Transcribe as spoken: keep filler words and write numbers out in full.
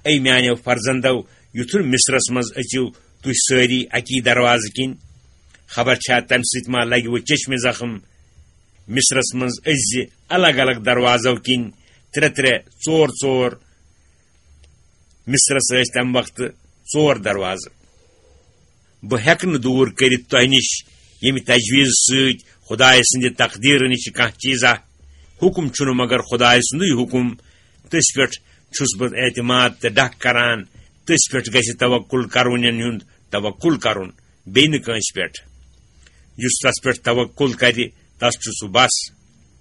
A میانیو فرزندو، یُتھُے مصرس منٛز أژِو تُہۍ سٲری اکی دروازٕ کِنۍ۔ خبر چھا تمہِ سۭتۍ ما لگہِ وۄنۍ چشمہِ زخم؟ مصرس منٛز أژۍ زِ الگ الگ دروازو کِنۍ، ترٛےٚ ترٛےٚ، ژور ژور۔ مصرس ٲسۍ تمہِ وقتہٕ ژور دروازٕ۔ بہٕ ہیٚکہٕ نہٕ دوٗر کٔرِتھ تۄہہِ نِش ییٚمہِ تجویٖز سۭتۍ خۄدایہِ سٕنٛدِ تقدیٖرٕ نِش کانٛہہ چیٖزا۔ حُکُم چھُنہٕ مگر خۄدایہِ سُنٛدُے حُکُم۔ تٔسۍ پٮ۪ٹھ چھُس بہٕ اعتماد تہٕ ڈَکھ کران۔ تٔسۍ پٮ۪ٹھ گژھِ توکل کرونٮ۪ن ہُنٛد توکل کرُن، بیٚیہِ نہٕ کٲنٛسہِ پٮ۪ٹھ۔ یُس تس پٮ۪ٹھ توکل کرِ، تس چھُ سُہ بس۔